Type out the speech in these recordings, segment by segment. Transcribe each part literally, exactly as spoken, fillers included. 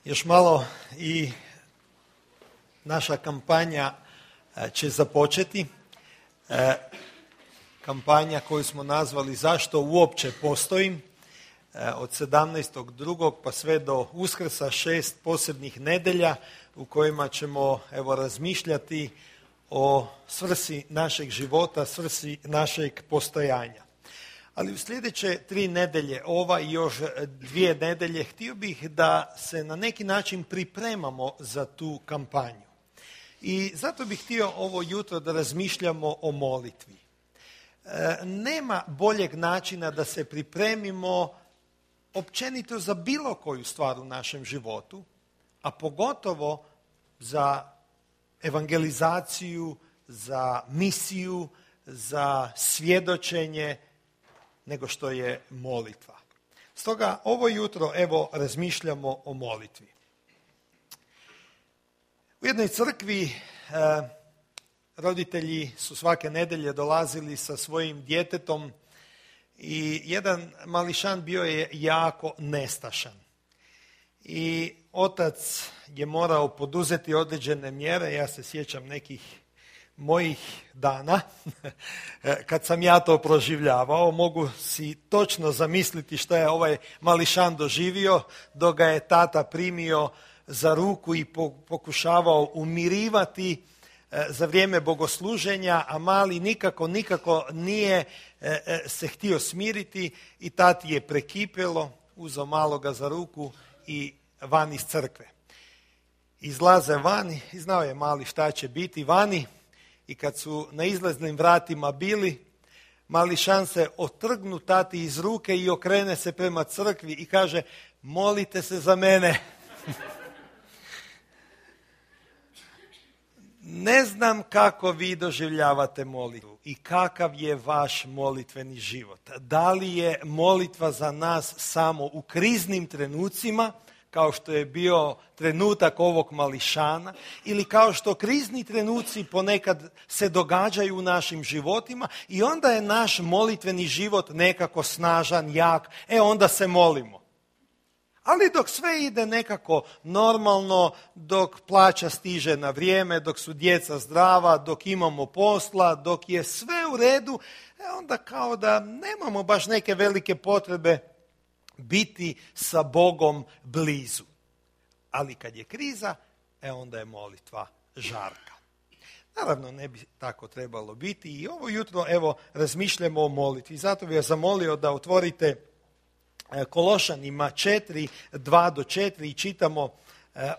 Još malo i naša kampanja će započeti. Kampanja koju smo nazvali Zašto uopće postojim? Od sedamnaestog drugog pa sve do Uskrsa, šest posebnih nedelja u kojima ćemo evo razmišljati o svrsi našeg života, svrsi našeg postojanja. Ali u sljedeće tri nedelje, ova i još dvije nedelje, htio bih da se na neki način pripremamo za tu kampanju. I zato bih htio ovo jutro da razmišljamo o molitvi. E, nema boljeg načina da se pripremimo općenito za bilo koju stvar u našem životu, a pogotovo za evangelizaciju, za misiju, za svjedočenje, nego što je molitva. Stoga ovo jutro evo razmišljamo o molitvi. U jednoj crkvi e, roditelji su svake nedelje dolazili sa svojim djetetom i jedan mališan bio je jako nestašan. I otac je morao poduzeti određene mjere, ja se sjećam nekih mojih dana, kad sam ja to proživljavao, mogu si točno zamisliti što je ovaj mališan doživio, dok ga je tata primio za ruku i pokušavao umirivati za vrijeme bogosluženja, a mali nikako, nikako nije se htio smiriti i tati je prekipjelo, uzeo maloga za ruku i van iz crkve. Izlaze vani i znao je mali šta će biti vani. I kad su na izlaznim vratima bili, mališan se otrgnu tati iz ruke i okrene se prema crkvi i kaže: molite se za mene. Ne znam kako vi doživljavate molitvu i kakav je vaš molitveni život. Da li je molitva za nas samo u kriznim trenucima, kao što je bio trenutak ovog mališana, ili kao što krizni trenuci ponekad se događaju u našim životima i onda je naš molitveni život nekako snažan, jak, e onda se molimo. Ali dok sve ide nekako normalno, dok plaća stiže na vrijeme, dok su djeca zdrava, dok imamo posla, dok je sve u redu, e onda kao da nemamo baš neke velike potrebe biti sa Bogom blizu. Ali kad je kriza, e onda je molitva žarka. Naravno, ne bi tako trebalo biti i ovo jutro evo razmišljamo o molitvi. Zato bih vas zamolio da otvorite Kološanima četiri, dva do četiri i čitamo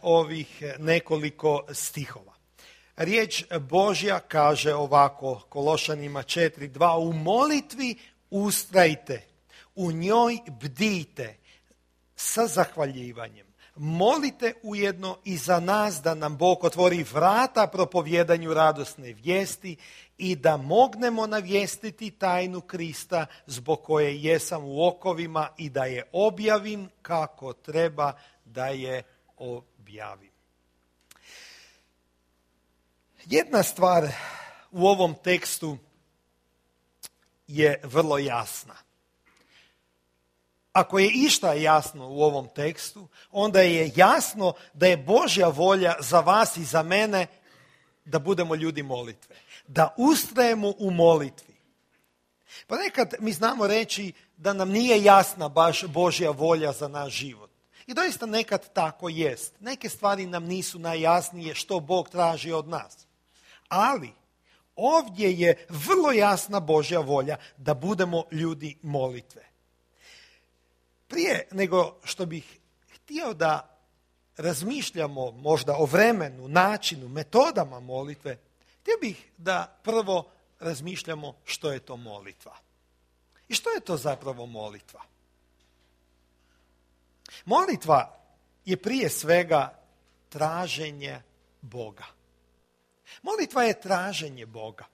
ovih nekoliko stihova. Riječ Božja kaže ovako, Kološanima četiri, dva, u molitvi ustrajte, u njoj bdijte sa zahvaljivanjem. Molite ujedno i za nas da nam Bog otvori vrata propovjedanju radosne vijesti i da mognemo navijestiti tajnu Krista zbog koje jesam u okovima i da je objavim kako treba da je objavim. Jedna stvar u ovom tekstu je vrlo jasna. Ako je išta jasno u ovom tekstu, onda je jasno da je Božja volja za vas i za mene da budemo ljudi molitve. Da ustrajemo u molitvi. Pa nekad mi znamo reći da nam nije jasna baš Božja volja za naš život. I doista nekad tako jest. Neke stvari nam nisu najjasnije što Bog traži od nas. Ali ovdje je vrlo jasna Božja volja da budemo ljudi molitve. Prije nego što bih htio da razmišljamo možda o vremenu, načinu, metodama molitve, htio bih da prvo razmišljamo što je to molitva. I što je to zapravo molitva? Molitva je prije svega traženje Boga. Molitva je traženje Boga.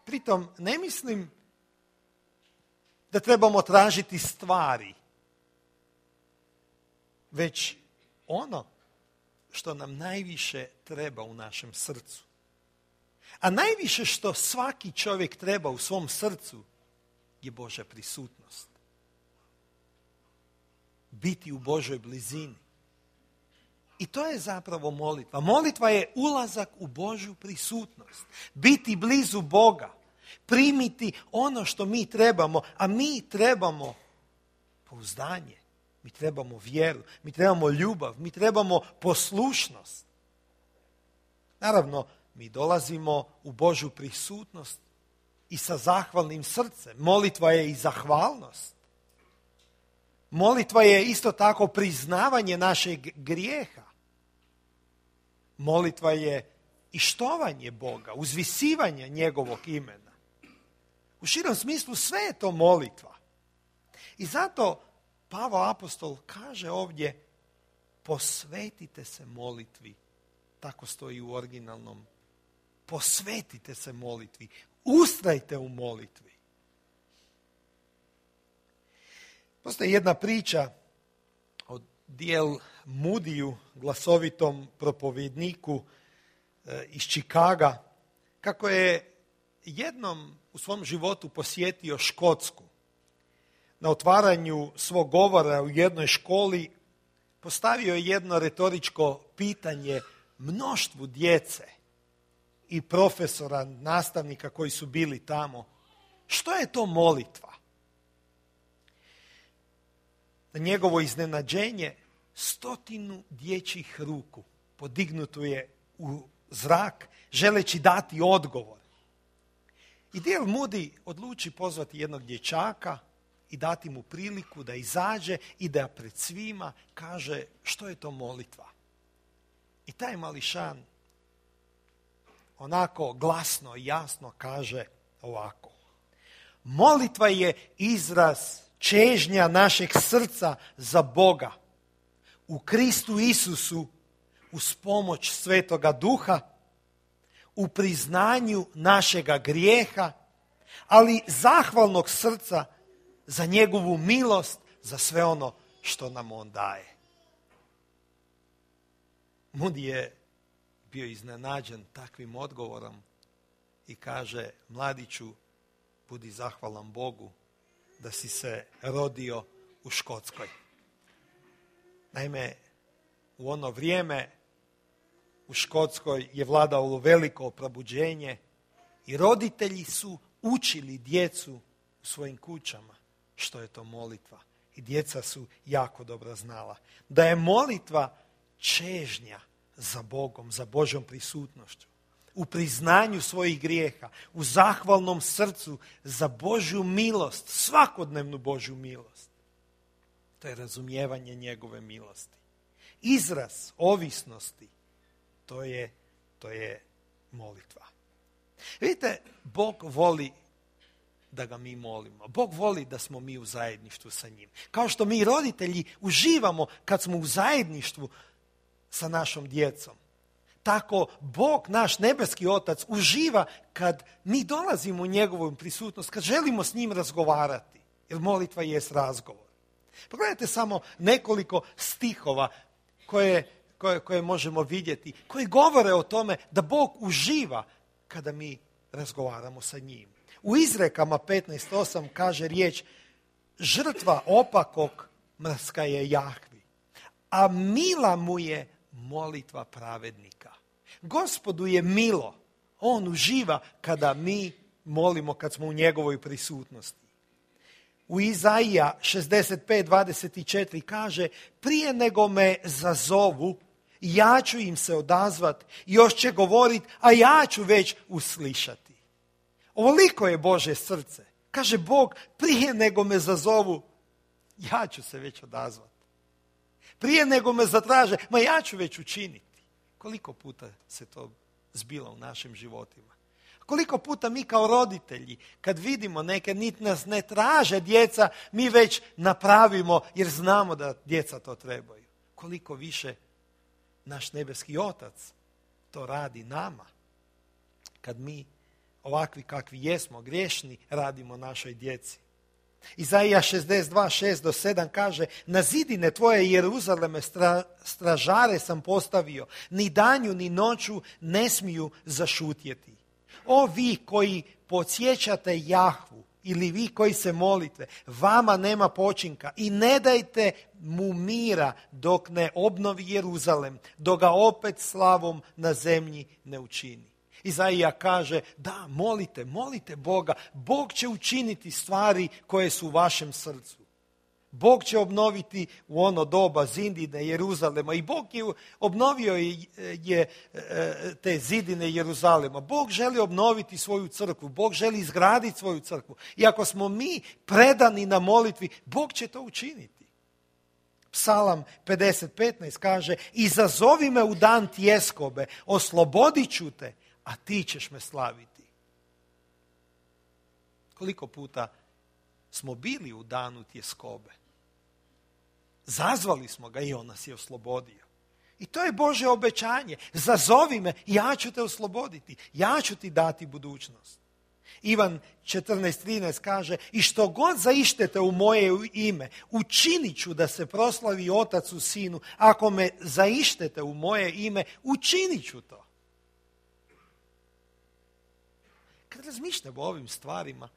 Pritom ne mislim da trebamo tražiti stvari, već ono što nam najviše treba u našem srcu. A najviše što svaki čovjek treba u svom srcu je Božja prisutnost. Biti u Božoj blizini. I to je zapravo molitva. Molitva je ulazak u Božju prisutnost. Biti blizu Boga. Primiti ono što mi trebamo. A mi trebamo pouzdanje. Mi trebamo vjeru. Mi trebamo ljubav. Mi trebamo poslušnost. Naravno, mi dolazimo u Božju prisutnost i sa zahvalnim srcem. Molitva je i zahvalnost. Molitva je isto tako priznavanje našeg grijeha. Molitva je i štovanje Boga, uzvisivanje njegovog imena. U širom smislu sve je to molitva. I zato Pavao apostol kaže ovdje, posvetite se molitvi. Tako stoji u originalnom. Posvetite se molitvi. Ustrajte u molitvi. Postoji jedna priča o D L Moodiju, glasovitom propovjedniku e, iz Čikaga, kako je jednom u svom životu posjetio Škotsku. Na otvaranju svog govora u jednoj školi postavio je jedno retoričko pitanje mnoštvu djece i profesora, nastavnika koji su bili tamo. Što je to molitva? Na njegovo iznenađenje stotinu dječjih ruku podignuto je u zrak, želeći dati odgovor. I D L Moody odluči pozvati jednog dječaka i dati mu priliku da izađe i da pred svima kaže što je to molitva. I taj mališan onako glasno i jasno kaže ovako. Molitva je izraz čežnja našeg srca za Boga u Kristu Isusu uz pomoć Svetoga Duha, u priznanju našega grijeha, ali zahvalnog srca za njegovu milost, za sve ono što nam on daje. Moody je bio iznenađen takvim odgovorom i kaže, mladiću, budi zahvalan Bogu da si se rodio u Škotskoj. Naime, u ono vrijeme u Škotskoj je vladalo veliko probuđenje i roditelji su učili djecu u svojim kućama što je to molitva. I djeca su jako dobro znala da je molitva čežnja za Bogom, za Božjom prisutnošću, u priznanju svojih grijeha, u zahvalnom srcu za Božju milost, svakodnevnu Božju milost. To je razumijevanje njegove milosti. Izraz ovisnosti, to je, to je molitva. Vidite, Bog voli da ga mi molimo. Bog voli da smo mi u zajedništvu sa njim. Kao što mi roditelji uživamo kad smo u zajedništvu sa našom djecom. Tako Bog, naš nebeski Otac, uživa kad mi dolazimo u njegovu prisutnost, kad želimo s njim razgovarati. Jer molitva jest razgovor. Pogledajte samo nekoliko stihova koje, koje, koje možemo vidjeti, koji govore o tome da Bog uživa kada mi razgovaramo sa njim. U Izrekama petnaest osam kaže riječ, žrtva opakog mrska je Jahvi, a mila mu je molitva pravednika. Gospodu je milo, on uživa kada mi molimo, kad smo u njegovoj prisutnosti. U Izaija šezdeset pet dvadeset četiri kaže, prije nego me zazovu, ja ću im se odazvat, još će govorit, a ja ću već uslišati. Ovoliko je Božje srce. Kaže Bog, prije nego me zazovu, ja ću se već odazvat. Prije nego me zatraže, ma ja ću već učiniti. Koliko puta se to zbilo u našim životima? Koliko puta mi kao roditelji, kad vidimo neke, niti nas ne traže djeca, mi već napravimo jer znamo da djeca to trebaju. Koliko više naš nebeski Otac to radi nama. Kad mi ovakvi kakvi jesmo, griješni, radimo našoj djeci. Izaija šezdeset dva šest do sedam kaže, na zidine tvoje Jeruzaleme stra, stražare sam postavio, ni danju ni noću ne smiju zašutjeti. O vi koji podsjećate Jahvu ili vi koji se molite, vama nema počinka i ne dajte mu mira dok ne obnovi Jeruzalem, dok ga opet slavom na zemlji ne učini. Izaija kaže, da, molite, molite Boga. Bog će učiniti stvari koje su u vašem srcu. Bog će obnoviti u ono doba zidine Jeruzalema i Bog je obnovio je, je te zidine Jeruzalema. Bog želi obnoviti svoju crkvu, Bog želi izgraditi svoju crkvu. I ako smo mi predani na molitvi, Bog će to učiniti. Psalam pedeset petnaest kaže, izazovi me u dan tjeskobe, oslobodit ću te, a ti ćeš me slaviti. Koliko puta smo bili u danu tjeskobe? Zazvali smo ga i on nas je oslobodio. I to je Božje obećanje. Zazovi me, ja ću te osloboditi. Ja ću ti dati budućnost. Ivan četrnaest trinaest kaže, i što god zaištete u moje ime, učinit ću da se proslavi Otac u Sinu. Ako me zaištete u moje ime, učinit ću to. Kad razmišljamo o ovim stvarima,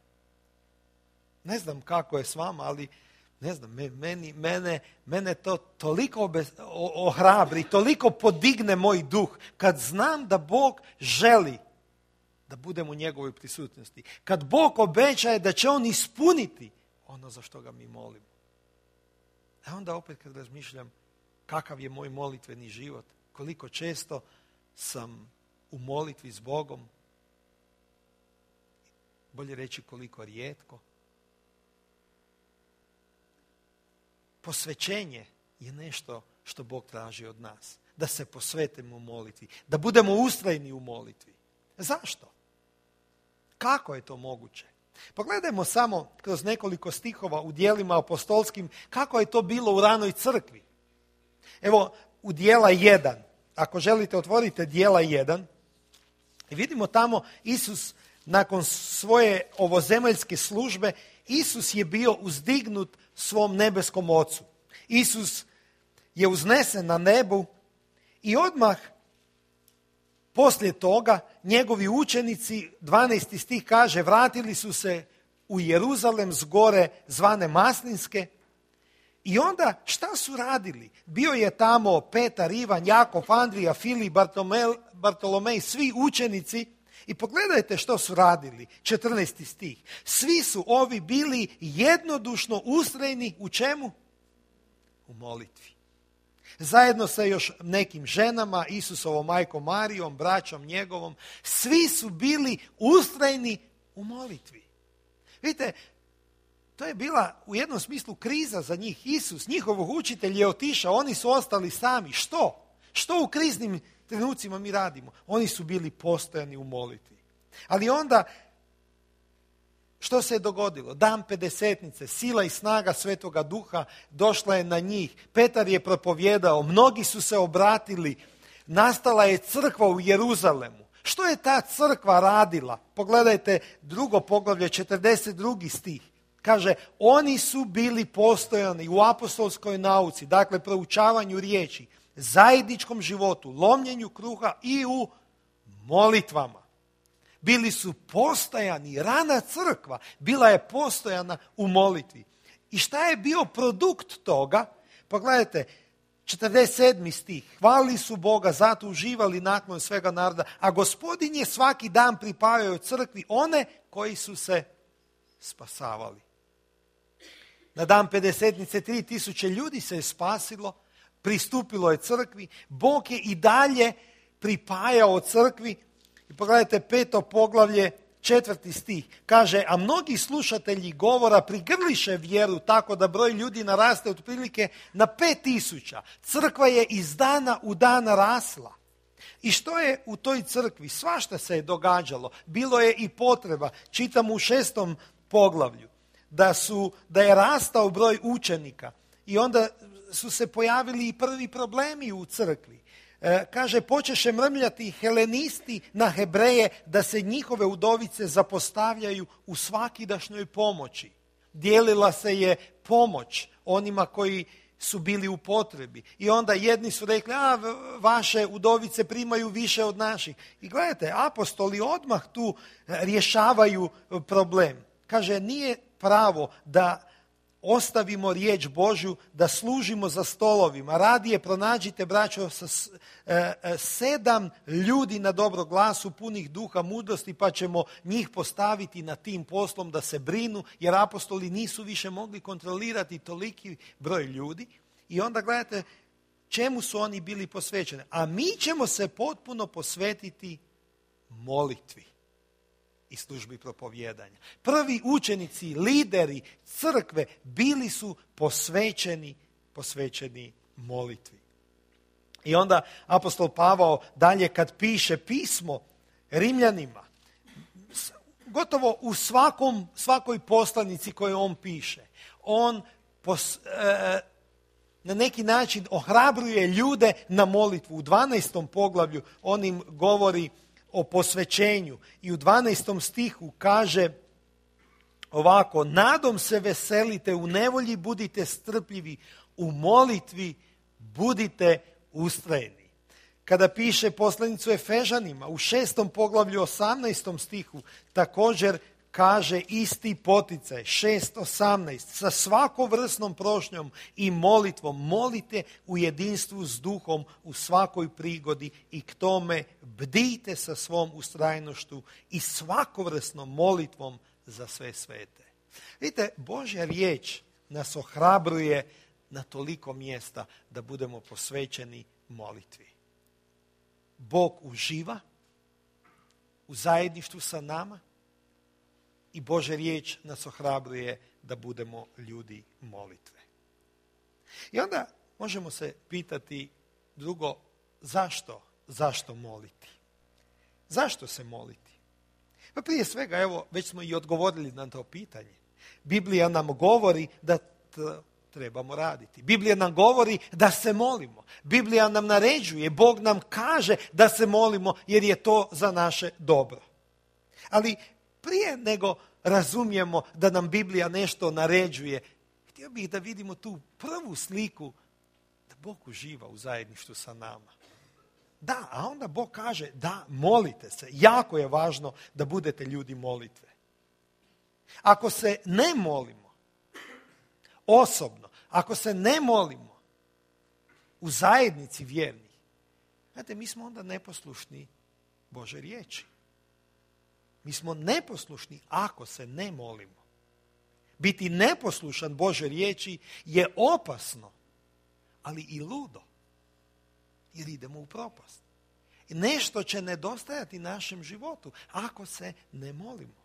ne znam kako je s vama, ali ne znam, meni, mene, mene to toliko obe, ohrabri, toliko podigne moj duh, kad znam da Bog želi da budem u njegovoj prisutnosti. Kad Bog obećaje da će on ispuniti ono za što ga mi molimo. A onda opet kad razmišljam kakav je moj molitveni život, koliko često sam u molitvi s Bogom, bolje reći koliko rijetko. Posvećenje je nešto što Bog traži od nas. Da se posvetimo u molitvi. Da budemo ustrajni u molitvi. Zašto? Kako je to moguće? Pogledajmo samo kroz nekoliko stihova u djelima apostolskim kako je to bilo u ranoj crkvi. Evo u djela jedan. Ako želite otvorite djela jedan. I vidimo tamo Isus nakon svoje ovozemaljske službe, Isus je bio uzdignut svom nebeskom Ocu. Isus je uznesen na nebu i odmah poslije toga njegovi učenici, dvanaesti stih kaže, vratili su se u Jeruzalem s gore zvane Maslinske. I onda šta su radili? Bio je tamo Petar, Ivan, Jakov, Andrija, Filip, Bartolomej, svi učenici. I pogledajte što su radili, četrnaesti stih. Svi su ovi bili jednodušno ustrajni u čemu? U molitvi. Zajedno sa još nekim ženama, Isusovom majkom Marijom, braćom njegovom, svi su bili ustrajni u molitvi. Vidite, to je bila u jednom smislu kriza za njih. Isus, njihov učitelj je otišao, oni su ostali sami. Što? Što u kriznim trenucima mi radimo? Oni su bili postojani u molitvi. Ali onda, što se je dogodilo? Dan pedesetnice, sila i snaga Svetoga Duha došla je na njih. Petar je propovjedao, mnogi su se obratili, nastala je crkva u Jeruzalemu. Što je ta crkva radila? Pogledajte drugo poglavlje, četrdeset drugi stih. Kaže, oni su bili postojani u apostolskoj nauci, dakle proučavanju riječi, zajedničkom životu, lomljenju kruha i u molitvama. Bili su postojani, rana crkva bila je postojana u molitvi. I šta je bio produkt toga? Pogledajte, četrdeset sedmi stih. Hvalili su Boga, zato uživali naklon svega naroda, a Gospodin je svaki dan pripajao crkvi one koji su se spasavali. Na dan pedesetnice tri tisuće ljudi se je spasilo, pristupilo je crkvi, Bog je i dalje pripajao crkvi. I pogledajte peto poglavlje, četvrti stih. Kaže, a mnogi slušatelji govora prigrliše vjeru tako da broj ljudi naraste otprilike na pet tisuća. Crkva je iz dana u dan rasla. I što je u toj crkvi? Svašta se je događalo. Bilo je i potreba. Čitamo u šestom poglavlju da, su, da je rastao broj učenika. I onda su se pojavili i prvi problemi u crkvi. E, kaže, počeše mrmljati helenisti na Hebreje da se njihove udovice zapostavljaju u svakidašnjoj pomoći. Dijelila se je pomoć onima koji su bili u potrebi. I onda jedni su rekli, a vaše udovice primaju više od naših. I gledajte, apostoli odmah tu rješavaju problem. kaže, nije pravo da ostavimo riječ Božju, da služimo za stolovima. Radije pronađite, braćo, sa e, e, sedam ljudi na dobro glasu, punih duha mudrosti, pa ćemo njih postaviti na tim poslom da se brinu, jer apostoli nisu više mogli kontrolirati toliki broj ljudi. I onda gledajte čemu su oni bili posvećeni. A mi ćemo se potpuno posvetiti molitvi i službi propovijedanja. Prvi učenici, lideri crkve bili su posvećeni, posvećeni molitvi. I onda apostol Pavao dalje kad piše pismo Rimljanima, gotovo u svakom, svakoj poslanici koju on piše, on pos, e, na neki način ohrabruje ljude na molitvu. U dvanaestom poglavlju on im govori o posvećenju i u dvanaestom stihu kaže ovako: nadom se veselite, u nevolji budite strpljivi, u molitvi budite ustrajni. Kada piše poslanicu Efežanima u šestom poglavlju osamnaestom stihu također kaže isti poticaj, šest osamnaest, sa svakovrsnom prošnjom i molitvom molite u jedinstvu s duhom u svakoj prigodi i k tome bdijte sa svom ustrajnošću i svakovrsnom molitvom za sve svete. Vidite, Božja riječ nas ohrabruje na toliko mjesta da budemo posvećeni molitvi. Bog uživa u zajedništvu sa nama i Božja riječ nas ohrabruje da budemo ljudi molitve. I onda možemo se pitati drugo, zašto? Zašto moliti? Zašto se moliti? Pa prije svega, evo, već smo i odgovorili na to pitanje. Biblija nam govori da t- trebamo raditi. Biblija nam govori da se molimo. Biblija nam naređuje, Bog nam kaže da se molimo jer je to za naše dobro. Ali prije nego razumijemo da nam Biblija nešto naređuje, htio bih da vidimo tu prvu sliku da Bog uživa u zajedništvu sa nama. Da, a onda Bog kaže da, molite se. Jako je važno da budete ljudi molitve. Ako se ne molimo osobno, ako se ne molimo u zajednici vjernih, znate, mi smo onda neposlušni Božoj riječi. Mi smo neposlušni ako se ne molimo. Biti neposlušan Božoj riječi je opasno, ali i ludo, jer idemo u propast. I nešto će nedostajati našem životu ako se ne molimo.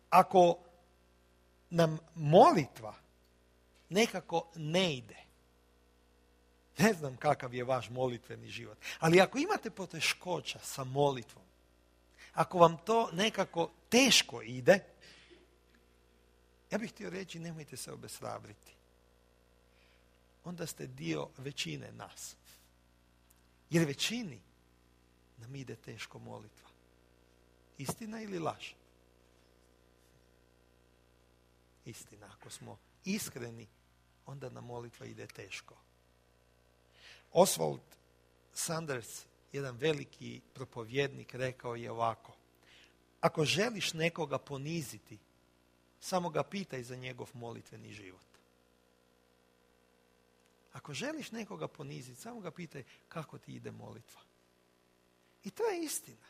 Ako nam molitva nekako ne ide, ne znam kakav je vaš molitveni život, ali ako imate poteškoća sa molitvom, ako vam to nekako teško ide, ja bih htio reći, nemojte se obeshrabriti. Onda ste dio većine nas. Jer većini nam ide teško molitva. Istina ili laž? Istina. Ako smo iskreni, onda nam molitva ide teško. Oswald Sanders, jedan veliki propovjednik, rekao je ovako: ako želiš nekoga poniziti, samo ga pitaj za njegov molitveni život. Ako želiš nekoga poniziti, samo ga pitaj kako ti ide molitva. I to je istina.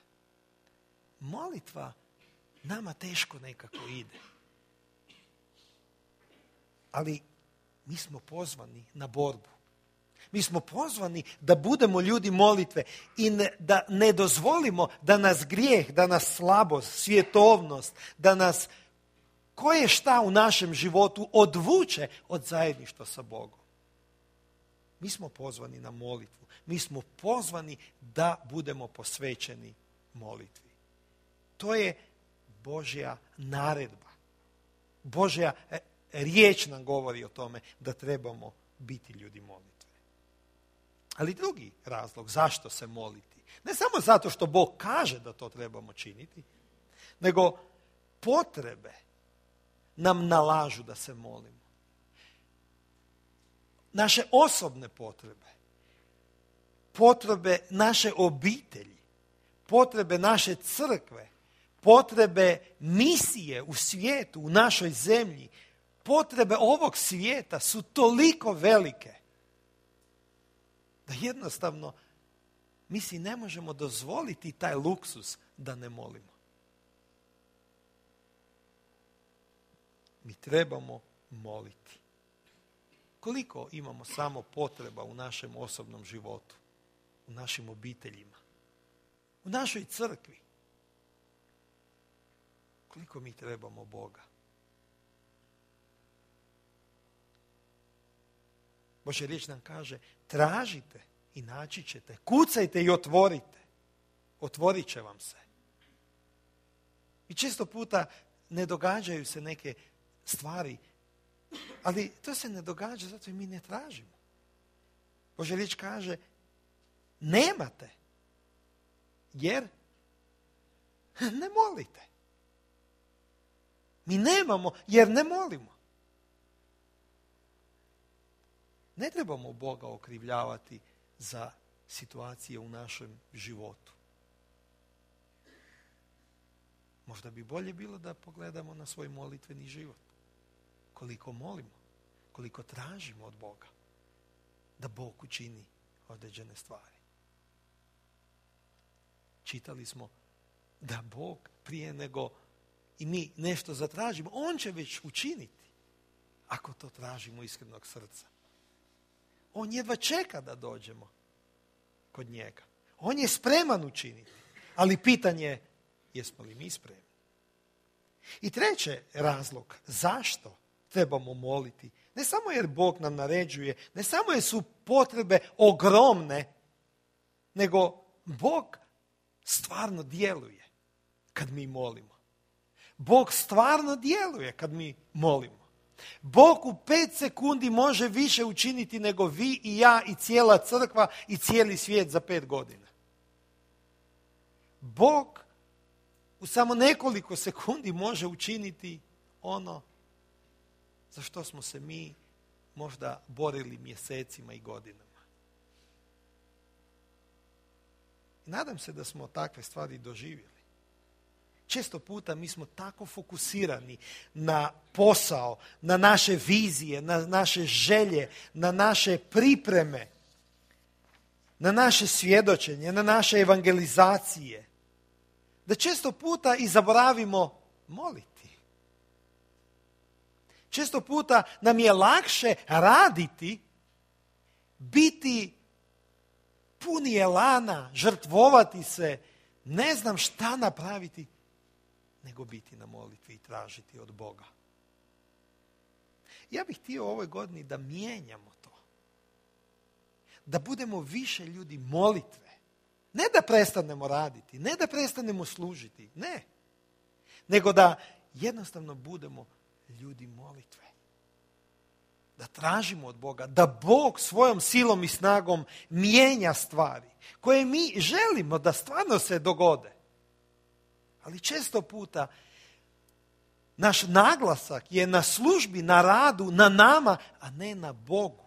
Molitva nama teško nekako ide. Ali mi smo pozvani na borbu. Mi smo pozvani da budemo ljudi molitve i ne, da ne dozvolimo da nas grijeh, da nas slabost, svjetovnost, da nas koje šta u našem životu odvuče od zajedništva sa Bogom. Mi smo pozvani na molitvu. Mi smo pozvani da budemo posvećeni molitvi. To je Božja naredba. Božja riječ nam govori o tome da trebamo biti ljudi molitve. Ali drugi razlog zašto se moliti, ne samo zato što Bog kaže da to trebamo činiti, nego potrebe nam nalažu da se molimo. Naše osobne potrebe, potrebe naše obitelji, potrebe naše crkve, potrebe misije u svijetu, u našoj zemlji, potrebe ovog svijeta su toliko velike da jednostavno mi si ne možemo dozvoliti taj luksus da ne molimo. Mi trebamo moliti. Koliko imamo samo potreba u našem osobnom životu, u našim obiteljima, u našoj crkvi? Koliko mi trebamo Boga? Božja riječ nam kaže, tražite i naći ćete, kucajte i otvorite. Otvorit će vam se. I često puta ne događaju se neke stvari, ali to se ne događa zato i mi ne tražimo. Božja riječ kaže, nemate, jer ne molite. Mi nemamo jer ne molimo. Ne trebamo Boga okrivljavati za situacije u našem životu. Možda bi bolje bilo da pogledamo na svoj molitveni život. Koliko molimo, koliko tražimo od Boga da Bog učini određene stvari. Čitali smo da Bog prije nego i mi nešto zatražimo, On će već učiniti ako to tražimo iskrenog srca. On jedva čeka da dođemo kod njega. On je spreman učiniti, ali pitanje je jesmo li mi spremni. I treći razlog zašto trebamo moliti, ne samo jer Bog nam naređuje, ne samo jer su potrebe ogromne, nego Bog stvarno djeluje kad mi molimo. Bog stvarno djeluje kad mi molimo. Bog u pet sekundi može više učiniti nego vi i ja i cijela crkva i cijeli svijet za pet godina. Bog u samo nekoliko sekundi može učiniti ono za što smo se mi možda borili mjesecima i godinama. I nadam se da smo takve stvari doživjeli. Često puta mi smo tako fokusirani na posao, na naše vizije, na naše želje, na naše pripreme, na naše svjedočenje, na naše evangelizacije, da često puta i zaboravimo moliti. Često puta nam je lakše raditi, biti puni elana, žrtvovati se, ne znam šta napraviti, nego biti na molitvi i tražiti od Boga. Ja bih htio u ovoj godini da mijenjamo to. Da budemo više ljudi molitve. Ne da prestanemo raditi, ne da prestanemo služiti, ne. Nego da jednostavno budemo ljudi molitve. Da tražimo od Boga, da Bog svojom silom i snagom mijenja stvari koje mi želimo da stvarno se dogode. Ali često puta naš naglasak je na službi, na radu, na nama, a ne na Bogu.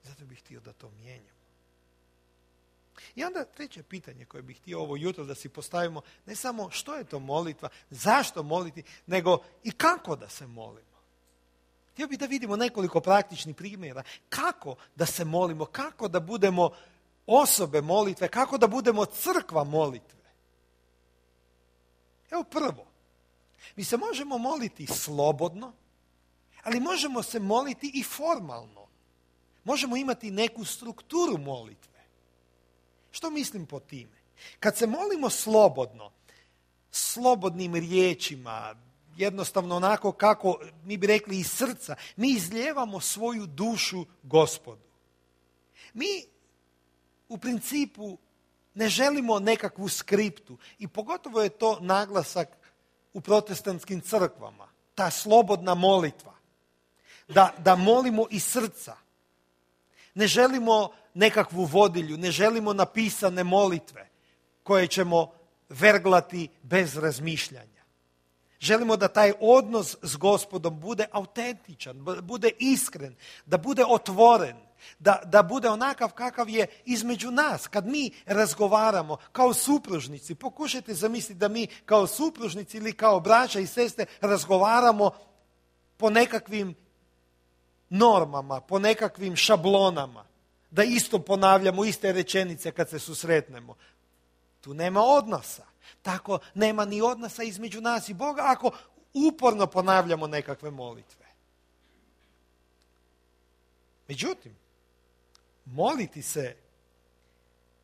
Zato bih htio da to mijenjamo. I onda treće pitanje koje bih htio ovo jutro da si postavimo, ne samo što je to molitva, zašto moliti, nego i kako da se molimo. Htio bih da vidimo nekoliko praktičnih primjera kako da se molimo, kako da budemo osobe molitve, kako da budemo crkva molitve. Evo prvo, mi se možemo moliti slobodno, ali možemo se moliti i formalno. Možemo imati neku strukturu molitve. Što mislim po time? Kad se molimo slobodno, slobodnim riječima, jednostavno onako kako mi bi rekli iz srca, mi izlijevamo svoju dušu Gospodu. Mi u principu ne želimo nekakvu skriptu i pogotovo je to naglasak u protestantskim crkvama, ta slobodna molitva, da, da molimo iz srca. Ne želimo nekakvu vodilju, ne želimo napisane molitve koje ćemo verglati bez razmišljanja. Želimo da taj odnos s Gospodom bude autentičan, bude iskren, da bude otvoren, Da, da bude onakav kakav je između nas. Kad mi razgovaramo kao supružnici, pokušajte zamisliti da mi kao supružnici ili kao braća i sestre razgovaramo po nekakvim normama, po nekakvim šablonama. Da isto ponavljamo iste rečenice kad se susretnemo. Tu nema odnosa. Tako nema ni odnosa između nas i Boga ako uporno ponavljamo nekakve molitve. Međutim, moliti se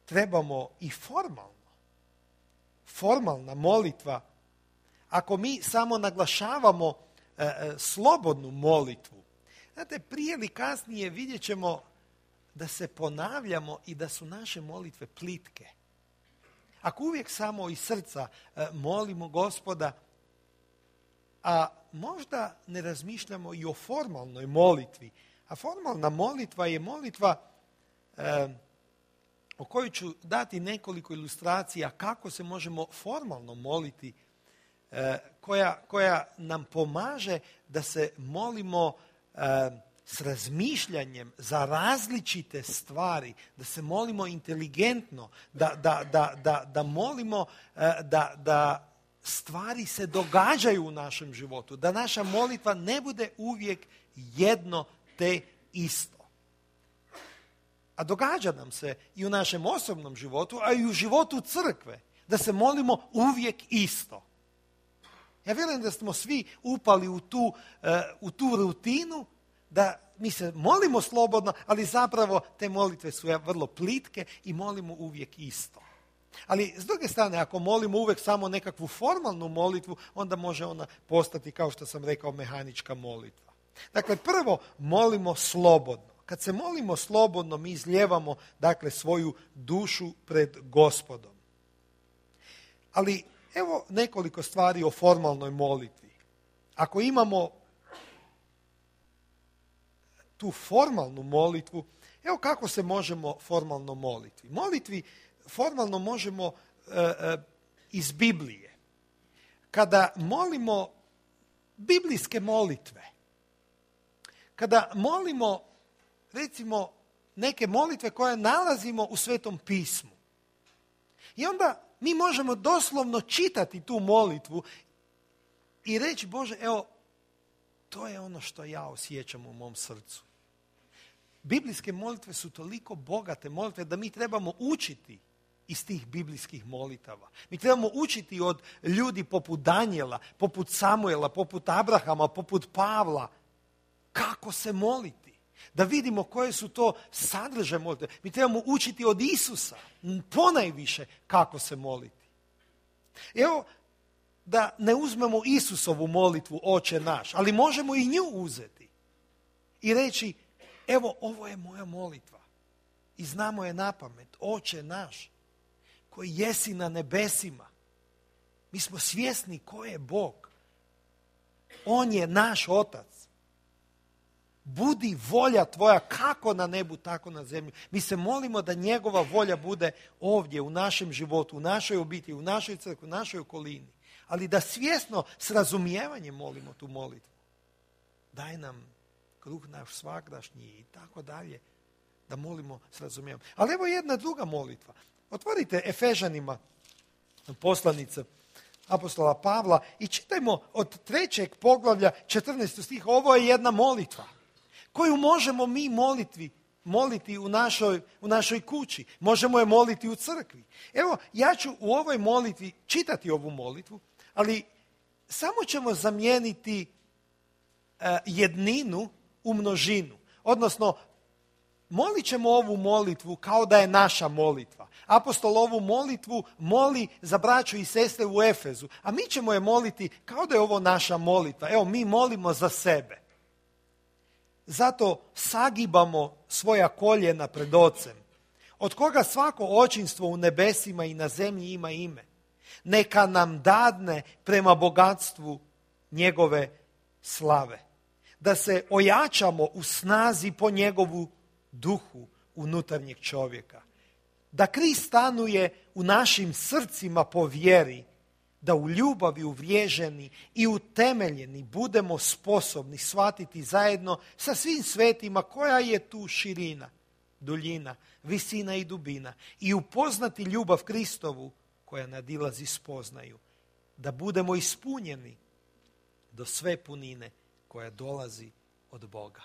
trebamo i formalno. Formalna molitva, ako mi samo naglašavamo e, e, slobodnu molitvu, znate, prije ili kasnije vidjet ćemo da se ponavljamo i da su naše molitve plitke. Ako uvijek samo iz srca e, molimo Gospoda, a možda ne razmišljamo i o formalnoj molitvi, a formalna molitva je molitva e, o kojoj ću dati nekoliko ilustracija kako se možemo formalno moliti, e, koja, koja nam pomaže da se molimo e, s razmišljanjem za različite stvari, da se molimo inteligentno, da, da, da, da, da molimo e, da, da stvari se događaju u našem životu, da naša molitva ne bude uvijek jedno te isto. A događa nam se i u našem osobnom životu, a i u životu crkve, da se molimo uvijek isto. Ja vjerujem da smo svi upali u tu, uh, u tu rutinu, da mi se molimo slobodno, ali zapravo te molitve su vrlo plitke i molimo uvijek isto. Ali s druge strane, ako molimo uvijek samo nekakvu formalnu molitvu, onda može ona postati, kao što sam rekao, mehanička molitva. Dakle, prvo molimo slobodno. Kad se molimo slobodno, mi izlijevamo, dakle, svoju dušu pred Gospodom. Ali evo nekoliko stvari o formalnoj molitvi. Ako imamo tu formalnu molitvu, evo kako se možemo formalno moliti. Molitvi formalno možemo e, e, iz Biblije. Kada molimo biblijske molitve, kada molimo, recimo, neke molitve koje nalazimo u Svetom pismu. I onda mi možemo doslovno čitati tu molitvu i reći, Bože, evo, to je ono što ja osjećam u mom srcu. Biblijske molitve su toliko bogate molitve da mi trebamo učiti iz tih biblijskih molitava. Mi trebamo učiti od ljudi poput Danijela, poput Samuela, poput Abrahama, poput Pavla, kako se moliti. Da vidimo koje su to sadržaje molitve. Mi trebamo učiti od Isusa ponajviše kako se moliti. Evo, da ne uzmemo Isusovu molitvu Oče naš, ali možemo i nju uzeti i reći, evo, ovo je moja molitva i znamo je napamet. Oče naš, koji jesi na nebesima. Mi smo svjesni ko je Bog. On je naš Otac. Budi volja tvoja kako na nebu, tako na zemlji. Mi se molimo da njegova volja bude ovdje, u našem životu, u našoj obitelji, u našoj crkvi, u našoj okolini. Ali da svjesno, s razumijevanjem molimo tu molitvu. Daj nam kruh naš svagdašnji i tako dalje. Da molimo s razumijevanjem. Ali evo jedna druga molitva. Otvorite Efežanima poslanice apostola Pavla i čitajmo od trećeg poglavlja četrnaestog stiha. Ovo je jedna molitva koju možemo mi moliti, moliti u našoj, u našoj kući. Možemo je moliti u crkvi. Evo, ja ću u ovoj molitvi čitati ovu molitvu, ali samo ćemo zamijeniti uh, jedninu u množinu. Odnosno, molit ćemo ovu molitvu kao da je naša molitva. Apostol ovu molitvu moli za braću i sestre u Efezu, a mi ćemo je moliti kao da je ovo naša molitva. Evo, mi molimo za sebe. Zato sagibamo svoja koljena pred Ocem, od koga svako očinstvo u nebesima i na zemlji ima ime. Neka nam dadne prema bogatstvu njegove slave, da se ojačamo u snazi po njegovu duhu unutarnjeg čovjeka. Da Krist stanuje u našim srcima po vjeri, da u ljubavi uvriježeni i utemeljeni budemo sposobni shvatiti zajedno sa svim svetima koja je tu širina, duljina, visina i dubina i upoznati ljubav Kristovu koja nadilazi spoznaju, da budemo ispunjeni do sve punine koja dolazi od Boga.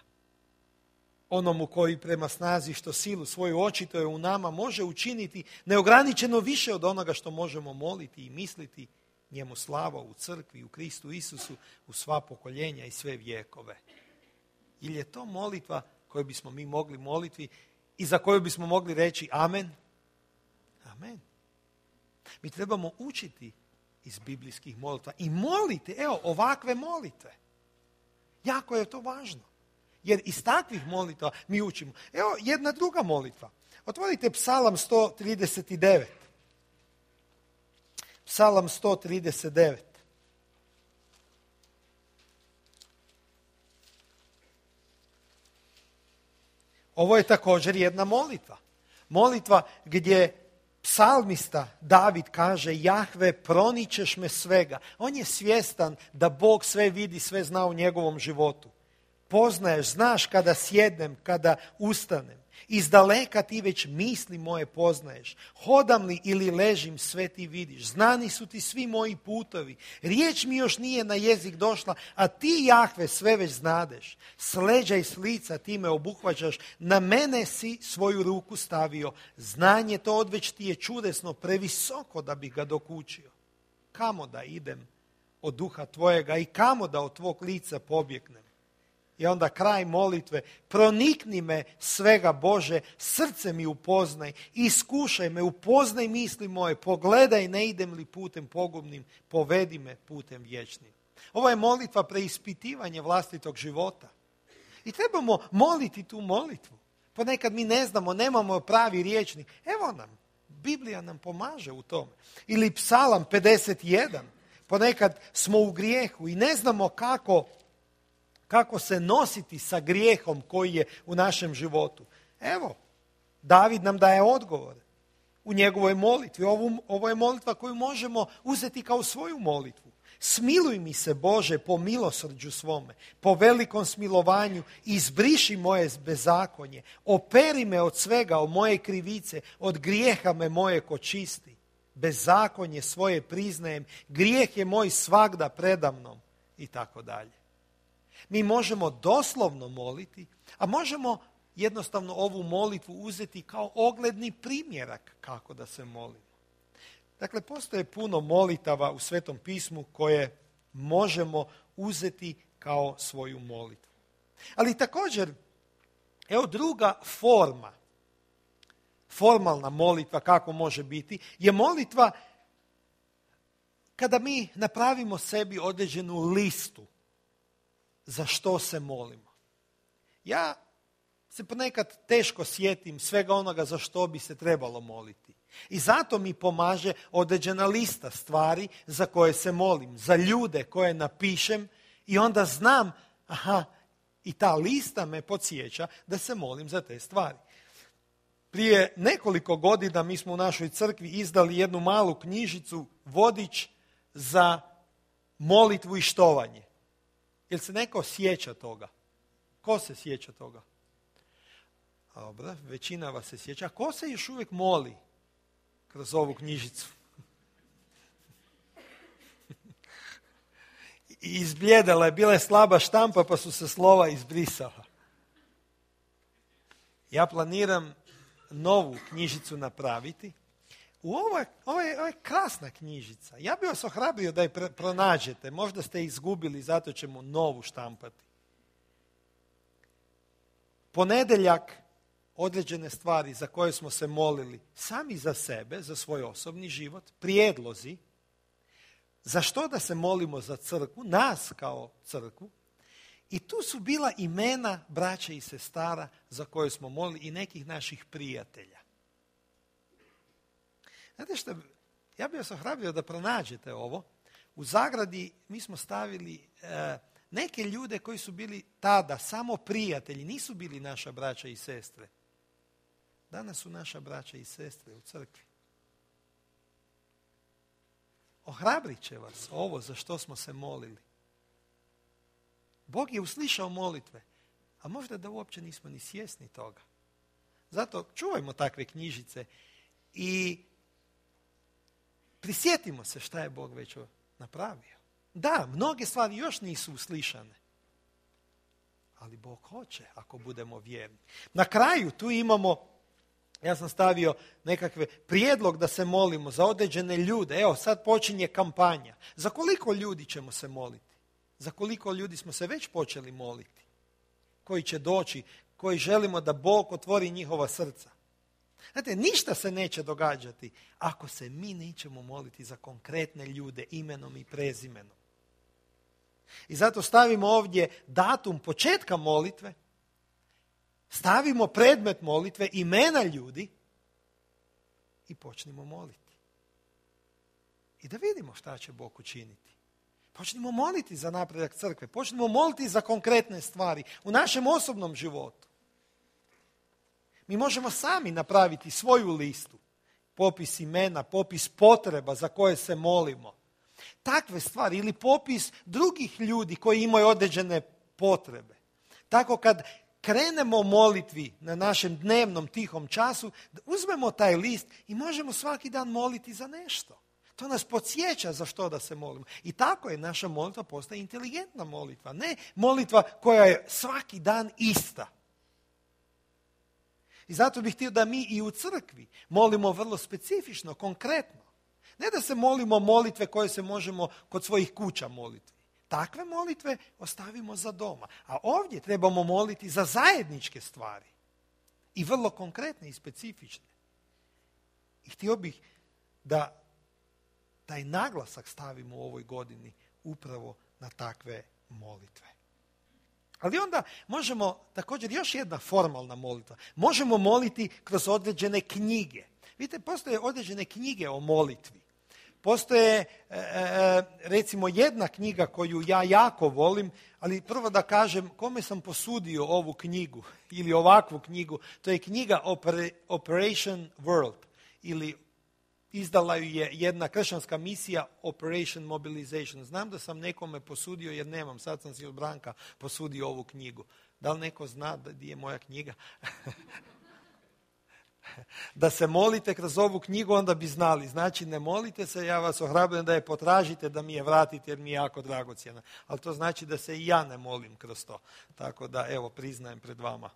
Onomu koji prema snazi što silu svoju očituje u nama može učiniti neograničeno više od onoga što možemo moliti i misliti, njemu slava u crkvi, u Kristu Isusu, u sva pokoljenja i sve vjekove. Ili je to molitva koju bismo mi mogli moliti i za koju bismo mogli reći amen? Amen. Mi trebamo učiti iz biblijskih molitva i moliti, evo, ovakve molitve. Jako je to važno. Jer iz takvih molitva mi učimo. Evo jedna druga molitva. Otvorite Psalam sto trideset devet. Psalam sto trideset devet. Ovo je također jedna molitva. Molitva gdje psalmista David kaže: Jahve, proničeš me svega. On je svjestan da Bog sve vidi, sve zna u njegovom životu. Poznaješ, znaš kada sjednem, kada ustanem. Iz daleka ti već misli moje poznaješ. Hodam li ili ležim, sve ti vidiš. Znani su ti svi moji putovi. Riječ mi još nije na jezik došla, a ti, Jahve, sve već znadeš. S leđa i s lica ti me obuhvaćaš. Na mene si svoju ruku stavio. Znanje to odveć ti je čudesno, previsoko da bih ga dokučio. Kamo da idem od duha tvojega i kamo da od tvog lica pobjegnem? I onda kraj molitve: pronikni me svega Bože, srce mi upoznaj, iskušaj me, upoznaj misli moje, pogledaj ne idem li putem pogubnim, povedi me putem vječnim. Ovo je molitva preispitivanja vlastitog života. I trebamo moliti tu molitvu. Ponekad mi ne znamo, nemamo pravi rječnik. Evo nam, Biblija nam pomaže u tome. Ili Psalam pedeset jedan. Ponekad smo u grijehu i ne znamo kako Kako se nositi sa grijehom koji je u našem životu. Evo, David nam daje odgovor u njegovoj molitvi. Ovo, ovo je molitva koju možemo uzeti kao svoju molitvu. Smiluj mi se, Bože, po milosrđu svome, po velikom smilovanju, izbriši moje bezakonje, operi me od svega, od moje krivice, od grijeha me moje očisti. Bezakonje svoje priznajem, grijeh je moj svagda predamnom i tako dalje. Mi možemo doslovno moliti, a možemo jednostavno ovu molitvu uzeti kao ogledni primjerak kako da se molimo. Dakle, postoje puno molitava u Svetom pismu koje možemo uzeti kao svoju molitvu. Ali također, evo druga forma, formalna molitva kako može biti, je molitva kada mi napravimo sebi određenu listu za što se molimo. Ja se ponekad teško sjetim svega onoga za što bi se trebalo moliti. I zato mi pomaže određena lista stvari za koje se molim, za ljude koje napišem i onda znam, aha, i ta lista me podsjeća da se molim za te stvari. Prije nekoliko godina mi smo u našoj crkvi izdali jednu malu knjižicu, vodič za molitvu i štovanje. Jel se neko sjeća toga? Ko se sjeća toga? Dobro, većina vas se sjeća. A ko se još uvijek moli kroz ovu knjižicu? Izbljedala je, bila je slaba štampa pa su se slova izbrisala. Ja planiram novu knjižicu napraviti. U ovo je, ovo je, ovo je krasna knjižica. Ja bih vas ohrabrio da je pr- pronađete. Možda ste izgubili, zato ćemo novu štampati. Ponedjeljak određene stvari za koje smo se molili sami za sebe, za svoj osobni život, prijedlozi, za što da se molimo za crkvu, nas kao crkvu, i tu su bila imena braća i sestara za koje smo molili i nekih naših prijatelja. Znate što, ja bih vas ohrabrio da pronađete ovo. U zagradi mi smo stavili e, neke ljude koji su bili tada samo prijatelji, nisu bili naša braća i sestre. Danas su naša braća i sestre u crkvi. ohrabrit će vas ovo za što smo se molili. Bog je uslišao molitve, a možda da uopće nismo ni svjesni toga. Zato čuvajmo takve knjižice i prisjetimo se šta je Bog već napravio. Da, mnoge stvari još nisu uslišane, ali Bog hoće ako budemo vjerni. Na kraju tu imamo, ja sam stavio nekakve prijedlog da se molimo za određene ljude. Evo, sad počinje kampanja. Za koliko ljudi ćemo se moliti? Za koliko ljudi smo se već počeli moliti? Koji će doći, koji želimo da Bog otvori njihova srca. Znate, ništa se neće događati ako se mi nećemo moliti za konkretne ljude imenom i prezimenom. I zato stavimo ovdje datum početka molitve, stavimo predmet molitve, imena ljudi i počnimo moliti. I da vidimo šta će Bog učiniti. Počnimo moliti za napredak crkve, počnimo moliti za konkretne stvari u našem osobnom životu. Mi možemo sami napraviti svoju listu, popis imena, popis potreba za koje se molimo. Takve stvari ili popis drugih ljudi koji imaju određene potrebe. Tako kad krenemo molitvi na našem dnevnom tihom času, uzmemo taj list i možemo svaki dan moliti za nešto. To nas podsjeća za što da se molimo. I tako je naša molitva postaje inteligentna molitva. Ne molitva koja je svaki dan ista. I zato bih htio da mi i u crkvi molimo vrlo specifično, konkretno. Ne da se molimo molitve koje se možemo kod svojih kuća moliti. Takve molitve ostavimo za doma. A ovdje trebamo moliti za zajedničke stvari. I vrlo konkretne i specifične. I htio bih da taj naglasak stavimo u ovoj godini upravo na takve molitve. Ali onda možemo, također još jedna formalna molitva, možemo moliti kroz određene knjige. Vidite, postoje određene knjige o molitvi. Postoje, e, recimo, jedna knjiga koju ja jako volim, ali prvo da kažem kome sam posudio ovu knjigu ili ovakvu knjigu. To je knjiga Operation World ili izdala ju je jedna kršćanska misija Operation Mobilization. Znam da sam nekome posudio jer nemam, sad sam si od Branka posudio ovu knjigu. Da li neko zna gdje je moja knjiga? Da se molite kroz ovu knjigu, onda bi znali. Znači, ne molite se, ja vas ohrabrujem da je potražite, da mi je vratite jer mi je jako dragocjena. Ali to znači da se i ja ne molim kroz to. Tako da, evo, priznajem pred vama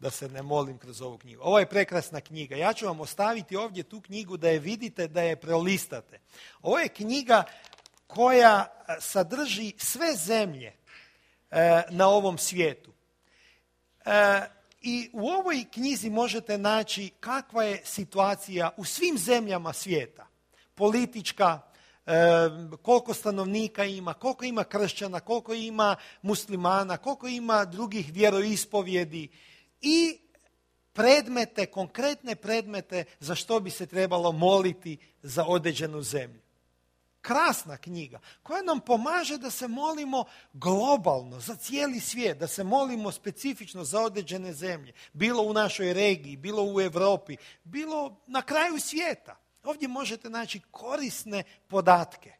da se ne molim kroz ovu knjigu. Ovo je prekrasna knjiga. Ja ću vam ostaviti ovdje tu knjigu da je vidite, da je prelistate. Ovo je knjiga koja sadrži sve zemlje e, na ovom svijetu. E, I u ovoj knjizi možete naći kakva je situacija u svim zemljama svijeta. Politička, e, koliko stanovnika ima, koliko ima kršćana, koliko ima muslimana, koliko ima drugih vjeroispovjedi i predmete, konkretne predmete za što bi se trebalo moliti za određenu zemlju. Krasna knjiga koja nam pomaže da se molimo globalno, za cijeli svijet, da se molimo specifično za određene zemlje, bilo u našoj regiji, bilo u Europi, bilo na kraju svijeta. Ovdje možete naći korisne podatke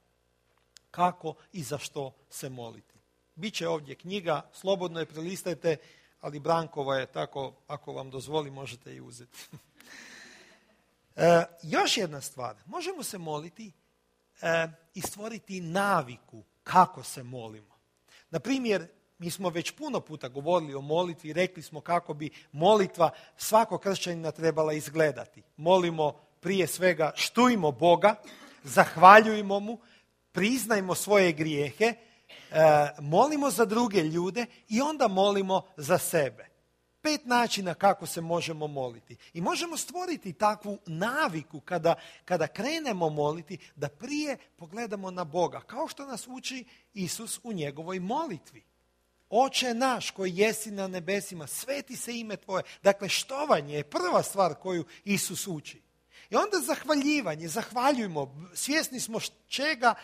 kako i za što se moliti. Biće ovdje knjiga, slobodno je prelistajte, ali Brankova je tako, ako vam dozvoli, možete i uzeti. e, još jedna stvar, možemo se moliti e, i stvoriti naviku kako se molimo. Na primjer, mi smo već puno puta govorili o molitvi i rekli smo kako bi molitva svakog kršćanina trebala izgledati. Molimo prije svega, štujmo Boga, zahvaljujmo mu, priznajmo svoje grijehe, E, molimo za druge ljude i onda molimo za sebe. Pet načina kako se možemo moliti. I možemo stvoriti takvu naviku kada, kada krenemo moliti da prije pogledamo na Boga. Kao što nas uči Isus u njegovoj molitvi. Oče naš koji jesi na nebesima, sveti se ime tvoje. Dakle, štovanje je prva stvar koju Isus uči. I onda zahvaljivanje, zahvaljujmo, svjesni smo čega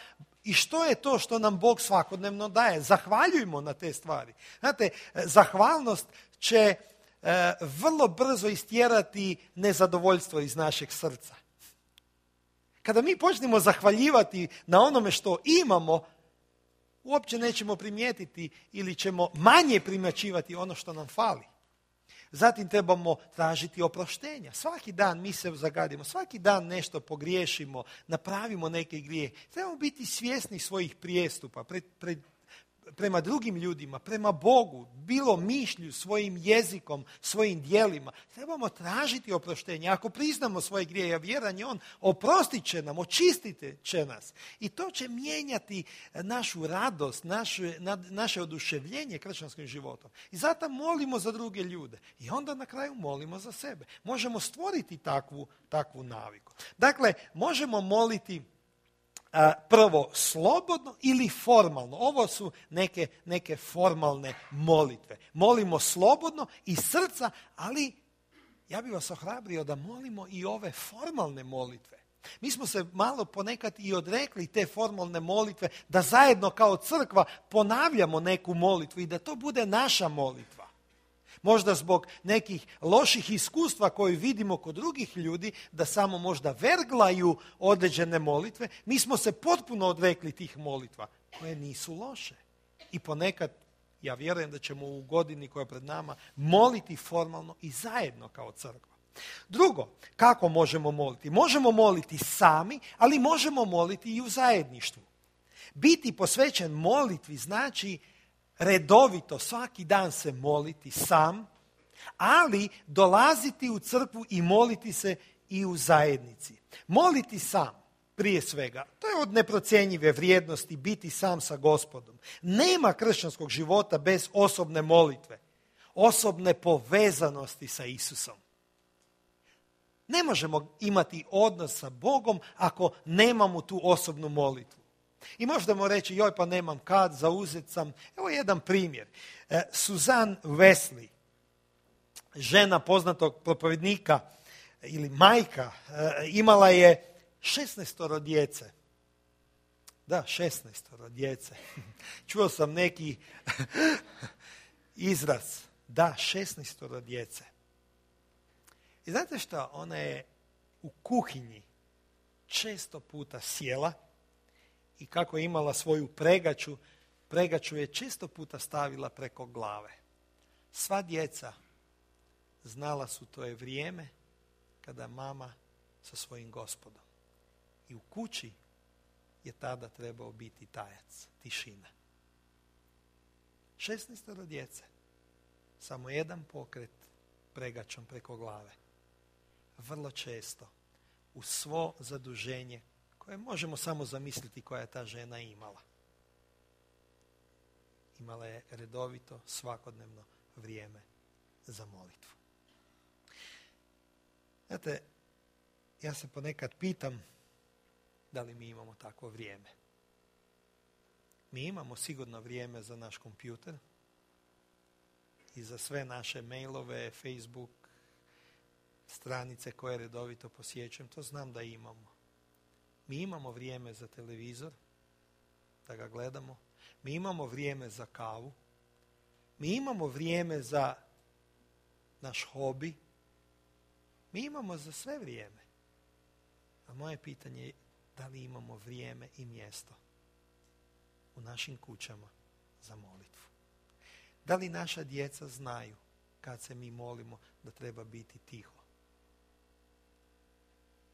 i što je to što nam Bog svakodnevno daje. Zahvaljujmo na te stvari. Znate, zahvalnost će e, vrlo brzo istjerati nezadovoljstvo iz našeg srca. Kada mi počnemo zahvaljivati na onome što imamo, uopće nećemo primijetiti ili ćemo manje primjećivati ono što nam fali. Zatim trebamo tražiti oproštenja. Svaki dan mi se zagadimo, svaki dan nešto pogriješimo, napravimo neke grije. Trebamo biti svjesni svojih prijestupa pred, pred, prema drugim ljudima, prema Bogu, bilo mišlju, svojim jezikom, svojim djelima. Trebamo tražiti oproštenje. Ako priznamo svoje grije, ja vjerujem, on oprostit će nam, očistiti će nas. I to će mijenjati našu radost, naše, naše oduševljenje kršćanskim životom. I zato molimo za druge ljude. I onda na kraju molimo za sebe. Možemo stvoriti takvu, takvu naviku. Dakle, možemo moliti A, prvo slobodno ili formalno. Ovo su neke, neke formalne molitve. Molimo slobodno iz srca, ali ja bih vas ohrabrio da molimo i ove formalne molitve. Mi smo se malo ponekad i odrekli te formalne molitve, da zajedno kao crkva ponavljamo neku molitvu i da to bude naša molitva. Možda zbog nekih loših iskustva koje vidimo kod drugih ljudi, da samo možda verglaju određene molitve, mi smo se potpuno odrekli tih molitva, koje nisu loše. I ponekad, ja vjerujem da ćemo u godini koja je pred nama moliti formalno i zajedno kao crkva. Drugo, kako možemo moliti? Možemo moliti sami, ali možemo moliti i u zajedništvu. Biti posvećen molitvi znači redovito svaki dan se moliti sam, ali dolaziti u crkvu i moliti se i u zajednici. Moliti sam, prije svega, to je od neprocjenjive vrijednosti biti sam sa Gospodom. Nema kršćanskog života bez osobne molitve, osobne povezanosti sa Isusom. Ne možemo imati odnos sa Bogom ako nemamo tu osobnu molitvu. I možemo reći, joj pa nemam kad, zauzet sam. Evo jedan primjer. E, Suzanne Wesley, žena poznatog propovednika ili majka, e, imala je šesnaestoro djece. Da, šesnaestoro djece. Čuo sam neki izraz. Da, šesnaestoro djece. I znate što? Ona je u kuhinji često puta sjela i kako je imala svoju pregaču, pregaču je često puta stavila preko glave. Sva djeca znala su to je vrijeme kada mama sa svojim Gospodom. I u kući je tada trebao biti tajac, tišina. šesnaestoro djece, samo jedan pokret pregačom preko glave. Vrlo često, uz svo zaduženje koje možemo samo zamisliti koja je ta žena imala. Imala je redovito, svakodnevno vrijeme za molitvu. Znate, ja se ponekad pitam da li mi imamo takvo vrijeme. Mi imamo sigurno vrijeme za naš kompjuter i za sve naše mailove, Facebook, stranice koje redovito posjećujem, to znam da imamo. Mi imamo vrijeme za televizor, da ga gledamo. Mi imamo vrijeme za kavu. Mi imamo vrijeme za naš hobi. Mi imamo za sve vrijeme. A moje pitanje je da li imamo vrijeme i mjesto u našim kućama za molitvu. Da li naša djeca znaju kad se mi molimo da treba biti tiho?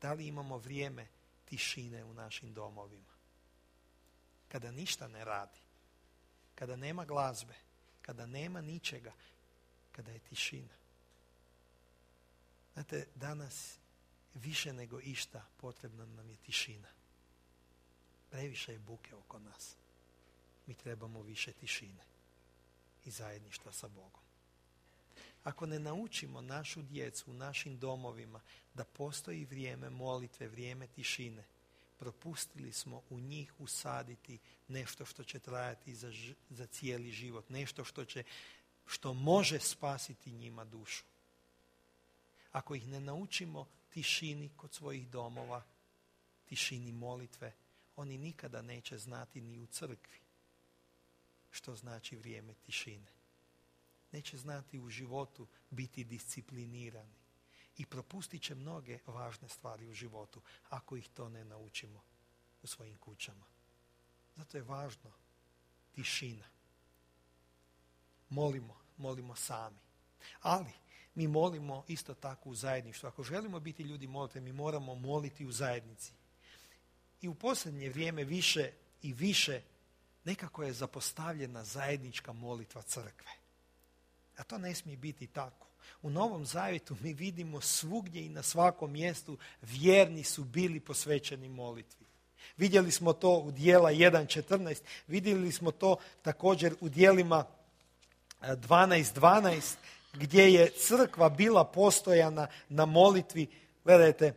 Da li imamo vrijeme tišine u našim domovima? Kada ništa ne radi, kada nema glazbe, kada nema ničega, kada je tišina. Znate, danas više nego išta potrebna nam je tišina. Previše je buke oko nas. Mi trebamo više tišine i zajedništva sa Bogom. Ako ne naučimo našu djecu u našim domovima da postoji vrijeme molitve, vrijeme tišine, propustili smo u njih usaditi nešto što će trajati za, za cijeli život, nešto što će, što može spasiti njima dušu. Ako ih ne naučimo tišini kod svojih domova, tišini molitve, oni nikada neće znati ni u crkvi što znači vrijeme tišine. Neće znati u životu biti disciplinirani i propustit će mnoge važne stvari u životu ako ih to ne naučimo u svojim kućama. Zato je važno tišina. Molimo, molimo sami. Ali mi molimo isto tako u zajedništvu. Ako želimo biti ljudi molite, mi moramo moliti u zajednici. I u posljednje vrijeme više i više nekako je zapostavljena zajednička molitva crkve. A to ne smije biti tako. U Novom Zavjetu mi vidimo svugdje i na svakom mjestu vjerni su bili posvećeni molitvi. Vidjeli smo to u Djela jedan četrnaest, vidjeli smo to također u Djelima dvanaest dvanaest, gdje je crkva bila postojana na molitvi. Gledajte,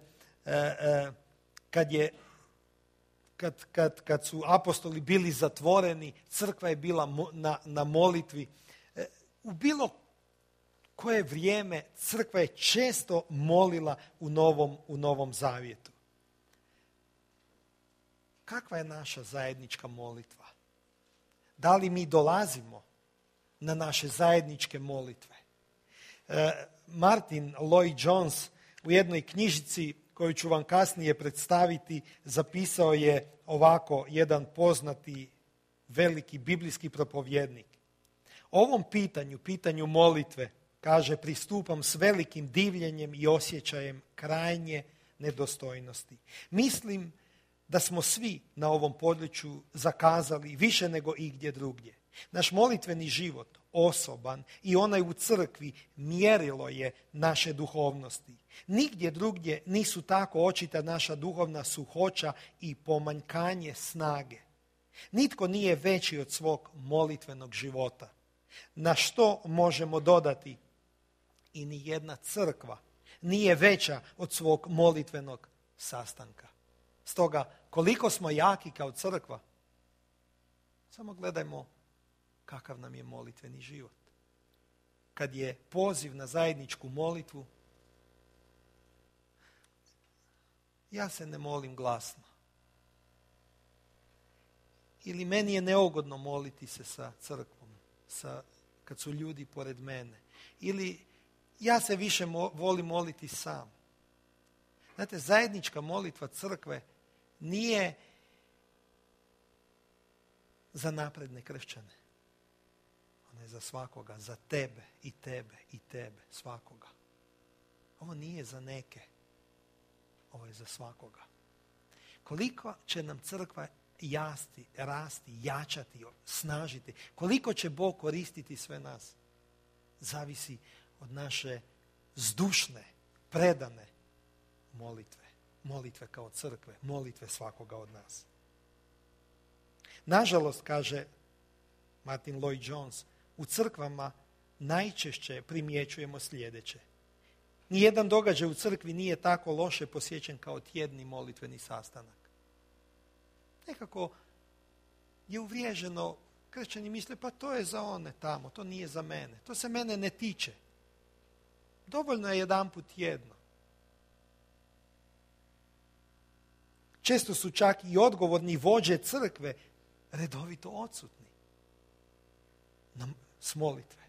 kad, je, kad, kad, kad su apostoli bili zatvoreni, crkva je bila na, na molitvi. U bilo koje vrijeme crkva je često molila u Novom, u Novom Zavjetu. Kakva je naša zajednička molitva? Da li mi dolazimo na naše zajedničke molitve? E, Martin Lloyd-Jones u jednoj knjižici koju ću vam kasnije predstaviti zapisao je ovako jedan poznati veliki biblijski propovjednik. Ovom pitanju, pitanju molitve, kaže, pristupam s velikim divljenjem i osjećajem krajnje nedostojnosti. Mislim da smo svi na ovom području zakazali više nego igdje drugdje. Naš molitveni život, osoban i onaj u crkvi, mjerilo je naše duhovnosti. Nigdje drugdje nisu tako očita naša duhovna suhoća i pomanjkanje snage. Nitko nije veći od svog molitvenog života. Na što možemo dodati? I ni jedna crkva nije veća od svog molitvenog sastanka. Stoga, koliko smo jaki kao crkva, samo gledajmo kakav nam je molitveni život. Kad je poziv na zajedničku molitvu, ja se ne molim glasno. Ili meni je neugodno moliti se sa crkvom, sa, kad su ljudi pored mene. Ili ja se više mo, volim moliti sam. Znate, zajednička molitva crkve nije za napredne kršćane. Ona je za svakoga, za tebe i tebe i tebe, svakoga. Ovo nije za neke. Ovo je za svakoga. Koliko će nam crkva jasti, rasti, jačati, snažiti, koliko će Bog koristiti sve nas, zavisi od naše zdušne, predane molitve. Molitve kao crkve, molitve svakoga od nas. Nažalost, kaže Martin Lloyd-Jones, u crkvama najčešće primjećujemo sljedeće. Nijedan događaj u crkvi nije tako loše posjećen kao tjedni molitveni sastanak. Nekako je uvriježeno, kršćani misle, pa to je za one tamo, to nije za mene, to se mene ne tiče. Dovoljno je jedanput tjedno. Često su čak i odgovorni vođe crkve redovito odsutni s molitve.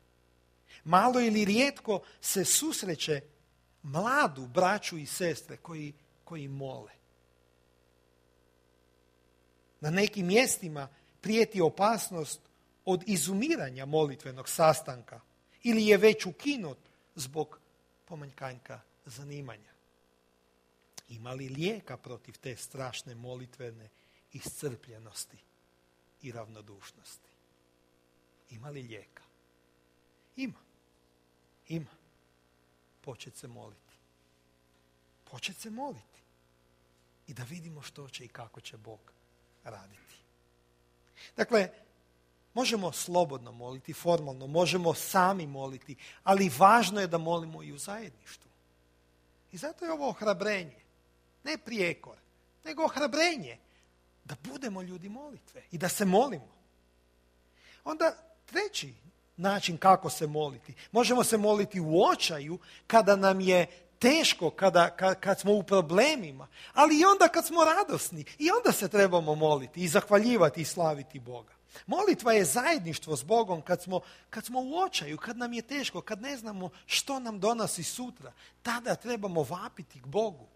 Malo ili rijetko se susreće mladu braću i sestre koji, koji mole. Na nekim mjestima prijeti opasnost od izumiranja molitvenog sastanka ili je već ukinut zbog pomanjkanja zanimanja. Ima li lijeka protiv te strašne molitvene iscrpljenosti i ravnodušnosti? Ima li lijeka? Ima. Ima. Počet se moliti. Počet se moliti. I da vidimo što će i kako će Bog raditi. Dakle, možemo slobodno moliti, formalno, možemo sami moliti, ali važno je da molimo i u zajedništvu. I zato je ovo ohrabrenje. Ne prijekor, nego ohrabrenje da budemo ljudi molitve i da se molimo. Onda treći način kako se moliti. Možemo se moliti u očaju kada nam je teško, kada, kad, kad smo u problemima, ali i onda kad smo radosni. I onda se trebamo moliti i zahvaljivati i slaviti Boga. Molitva je zajedništvo s Bogom kad smo, kad smo u očaju, kad nam je teško, kad ne znamo što nam donosi sutra. Tada trebamo vapiti k Bogu.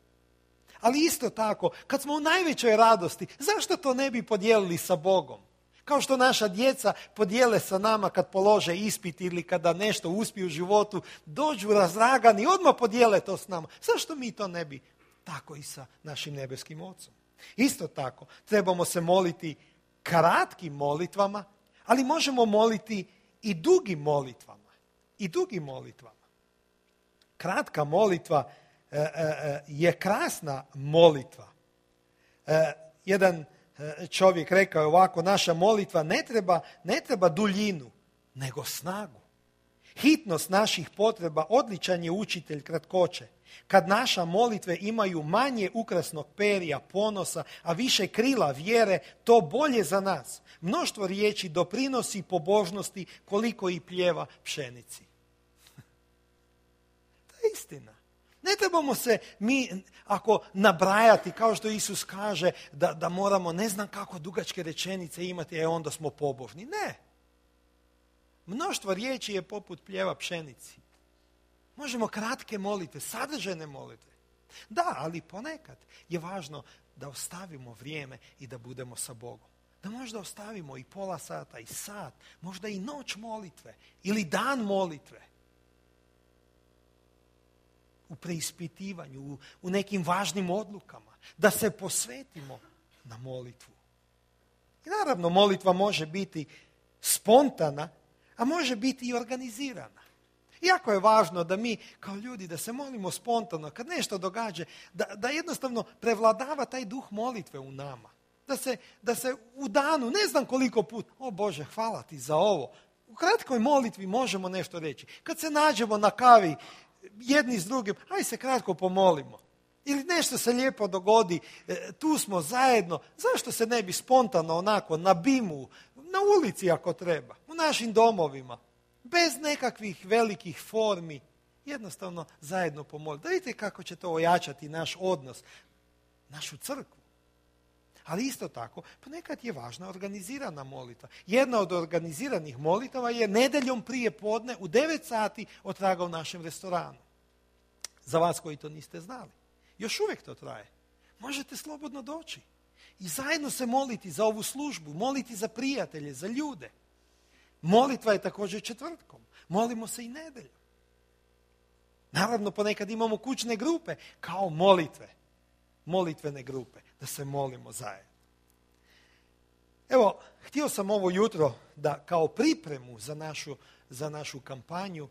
Ali isto tako, kad smo u najvećoj radosti, zašto to ne bi podijelili sa Bogom? Kao što naša djeca podijele sa nama kad polože ispit ili kada nešto uspiju u životu, dođu razragani i odmah podijele to s nama. Zašto mi to ne bi? Tako i sa našim nebeskim Ocom. Isto tako, trebamo se moliti kratkim molitvama, ali možemo moliti i dugim molitvama. I dugim molitvama. Kratka molitva e, e, je krasna molitva. E, jedan čovjek rekao je ovako, naša molitva ne treba, ne treba duljinu, nego snagu. Hitnost naših potreba odličan je učitelj kratkoće. Kad naša molitve imaju manje ukrasnog perja, ponosa, a više krila vjere, to bolje za nas. Mnoštvo riječi doprinosi pobožnosti koliko i pljeva pšenici. To je istina. Ne trebamo se mi, ako nabrajati, kao što Isus kaže, da, da moramo ne znam kako dugačke rečenice imati, e onda smo pobožni. Ne. Mnoštvo riječi je poput pljeva pšenici. Možemo kratke molitve, sadržajne molitve. Da, ali ponekad je važno da ostavimo vrijeme i da budemo sa Bogom. Da možda ostavimo i pola sata, i sat, možda i noć molitve ili dan molitve. U preispitivanju, u, u nekim važnim odlukama. Da se posvetimo na molitvu. I naravno, molitva može biti spontana, a može biti i organizirana. Jako je važno da mi kao ljudi da se molimo spontano, kad nešto događa, da, da jednostavno prevladava taj duh molitve u nama. Da se, da se u danu, ne znam koliko put, o Bože, hvala ti za ovo. U kratkoj molitvi možemo nešto reći. Kad se nađemo na kavi jedni s drugim, aj se kratko pomolimo. Ili nešto se lijepo dogodi, tu smo zajedno. Zašto se ne bi spontano onako na bimu, na ulici ako treba, u našim domovima, bez nekakvih velikih formi, jednostavno zajedno pomoliti. Da vidite kako će to ojačati naš odnos, našu crkvu. Ali isto tako, ponekad je važna organizirana molitva. Jedna od organiziranih molitava je nedjeljom prije podne u devet sati otraga u našem restoranu. Za vas koji to niste znali. Još uvijek to traje. Možete slobodno doći. I zajedno se moliti za ovu službu, moliti za prijatelje, za ljude. Molitva je također četvrtkom. Molimo se i nedjeljom. Naravno, ponekad imamo kućne grupe kao molitve. Molitvene grupe, da se molimo zajedno. Evo, htio sam ovo jutro da kao pripremu za našu, za našu kampanju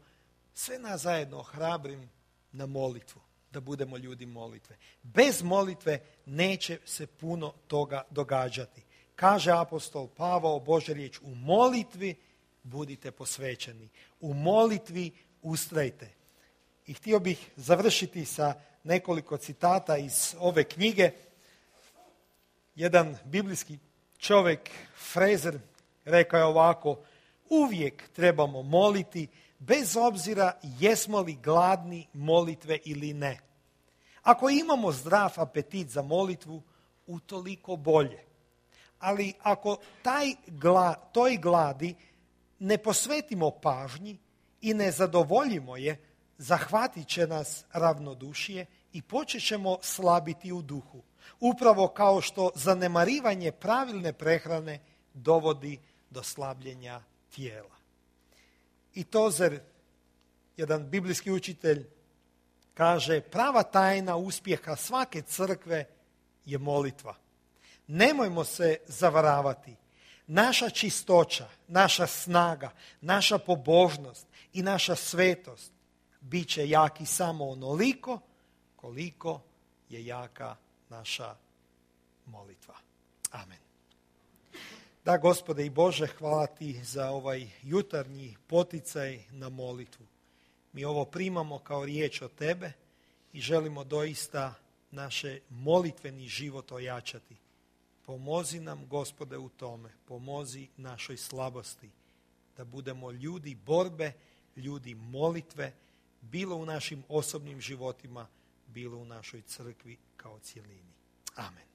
sve nas zajedno ohrabrim na molitvu, da budemo ljudi molitve. Bez molitve neće se puno toga događati. Kaže apostol Pavao, Božja riječ, u molitvi budite posvećeni. U molitvi ustrajte. I htio bih završiti sa nekoliko citata iz ove knjige. Jedan biblijski čovjek, Frazer, rekao je ovako, uvijek trebamo moliti bez obzira jesmo li gladni molitve ili ne. Ako imamo zdrav apetit za molitvu, utoliko bolje. Ali ako taj gla, toj gladi ne posvetimo pažnji i ne zadovoljimo je, zahvatit će nas ravnodušije i počet ćemo slabiti u duhu. Upravo kao što zanemarivanje pravilne prehrane dovodi do slabljenja tijela. I Tozer, jedan biblijski učitelj, kaže, prava tajna uspjeha svake crkve je molitva. Nemojmo se zavaravati. Naša čistoća, naša snaga, naša pobožnost i naša svetost bit će jaki samo onoliko koliko je jaka naša molitva. Amen. Da, Gospode i Bože, hvala ti za ovaj jutarnji poticaj na molitvu. Mi ovo primamo kao riječ od tebe i želimo doista naše molitveni život ojačati. Pomozi nam, Gospode, u tome. Pomozi našoj slabosti. Da budemo ljudi borbe, ljudi molitve, bilo u našim osobnim životima, bilo u našoj crkvi kao cjelini. Amen.